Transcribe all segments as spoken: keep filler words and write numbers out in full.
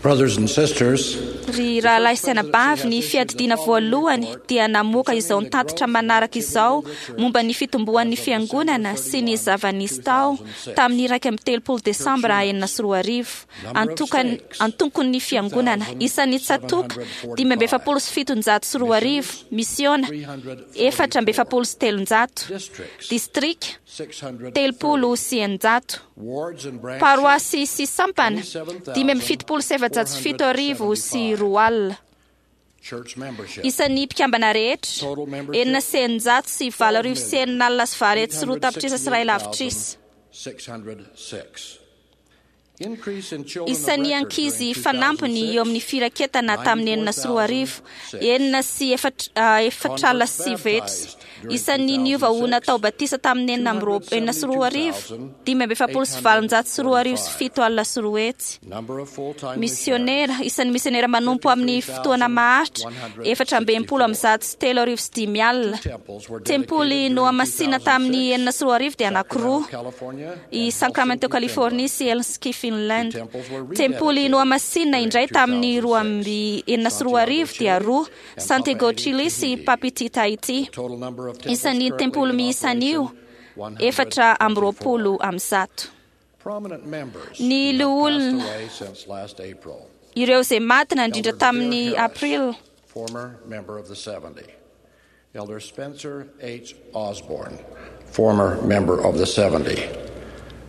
Brothers and sisters, Ry rahalahy sy anabavy, ny fiadidiana voalohany dia namoaka izao nitatitra manaraka izao momba ny fitomboan'ny fiangonana sy ny zava-nisy tao tamin'ny iraika amby telopolo desambra enina sy roa arivo. Antokan- Antokon'ny fiangonana isan'ny tsatoka dimy amby efapolo sy fitonjato sy roa arivo, misiona efatra amby efapolo sy telonjato, districts, distrika six hundred telopolo sy eninjato, wards and branches, paroasy sy sampana dimy amby fitopolo sy efajato sy fito arivo sy roa alina. church membership, Isan'ny mpikambana rehetra total membership, enina sy eninjato sy valo arivo sy enina alina sy valo hetsy sy roa tapitrisa sy iray lavitrisa. six hundred six. Increase in children of Isan'ny record ankizy during fanampiny eo amin'ny firaketana tamin'ny enina sy roa arivo, enina sy efatra ah, efatra alina sy sivy hetsy. Isan'ny niova ho natao batisa tamin'ny enina amby roa- enina sy roa arivo, dimy amby efapolo sy valonjato sy roa arivo sy fito alina sy roa hetsy. Number of full-time Misionera, isan'ny misionera manompo amin'ny fotoana maharitra, efatra amby enimpolo amby zato sy telo arivo sy dimy alina. temples were Tempoly dedicated during nohamasina tamin'ny enina sy roa arivo dia anankiroa, California i and Sacramento, Helsinki, California sy Helsinki, Finland. Temples were Tempoly nohamasina indray tamin'ny roa amby enina sy roa arivo dia roa, Santiago, Chile sy Papiti, Tahiti. Total number of temples Isan'ny currently tempoly in miisa an'io, operation, efatra amby one hundred twenty-four. roapolo amby zato. Prominent members Ny who have passed loholona away since last April. Ireo izay maty nandrindra Elder tamin'ny Devere Harris, April, former member of the seventy. Elder Spencer H. Osborne, former member of the seventy.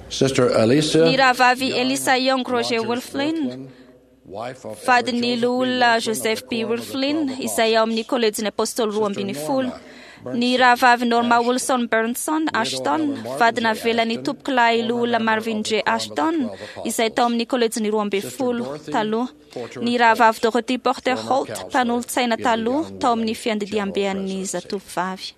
Sister Elisa ny rahavavy Young Elisa Young Roger Rogers Wolflin, Wolflin, wife of Elder vadin'ny Joseph B. loholona Wolflin of Joseph the B. Quorum of the Wolflin Twelve izay ao amin'ny Apostles. kolejin'ny apôstôly roa ambin'ny folo. Norma Ny rahavavy Norma Ashton, Wilson Burnson Ashton, Elder Marvin vadina J. avelan'ny Ashton, tompokolahy former loholona member of Marvin the J. Quorum of the Ashton Twelve Apostles. izay tao amin'ny kolejin'ny roa ambin'ny Sister folo Dorothy taloha. Porter Ny rahavavy Holt, Dorothy Porter former Holt, counselor mpanolotsaina in the taloha Young tao amin'ny Women fiandidiambean'ny General Presidency. zatovovavy.